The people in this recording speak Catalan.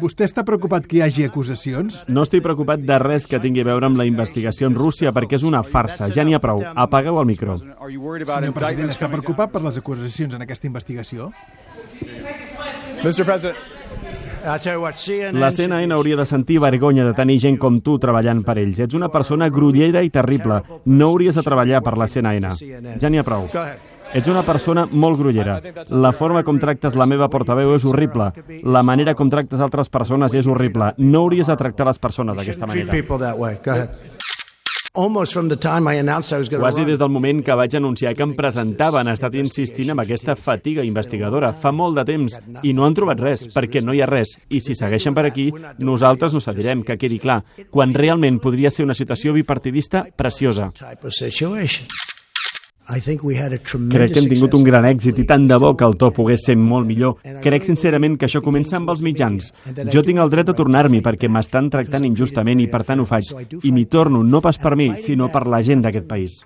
Vostè està preocupat que hi hagi acusacions? No estic preocupat de res que tingui a veure amb la investigació en Rússia perquè és una farsa. Ja n'hi ha prou. Apagueu el micro. Senyor president, està preocupat per les acusacions en aquesta investigació? La CNN hauria de sentir vergonya de tenir gent com tu treballant per ells. Ets una persona grollera i terrible. No hauries de treballar per la CNN. Ja n'hi ha prou. Ets una persona molt grollera. La forma com tractes la meva portaveu és horrible. La manera com tractes altres persones és horrible. No hauries de tractar les persones d'aquesta manera. Quasi des del moment que vaig anunciar que em presentava han estat insistint amb aquesta fatiga investigadora. Fa molt de temps i no han trobat res, perquè no hi ha res. I si segueixen per aquí, nosaltres no cedirem, que quedi clar, quan realment podria ser una situació bipartidista preciosa. Crec que hem tingut un gran èxit i tant de bo que el to pogués ser molt millor. Crec sincerament que això comença amb els mitjans. Jo tinc el dret a tornar-m'hi perquè m'estan tractant injustament i per tant ho faig. I m'hi torno no pas per mi, sinó per la gent d'aquest país.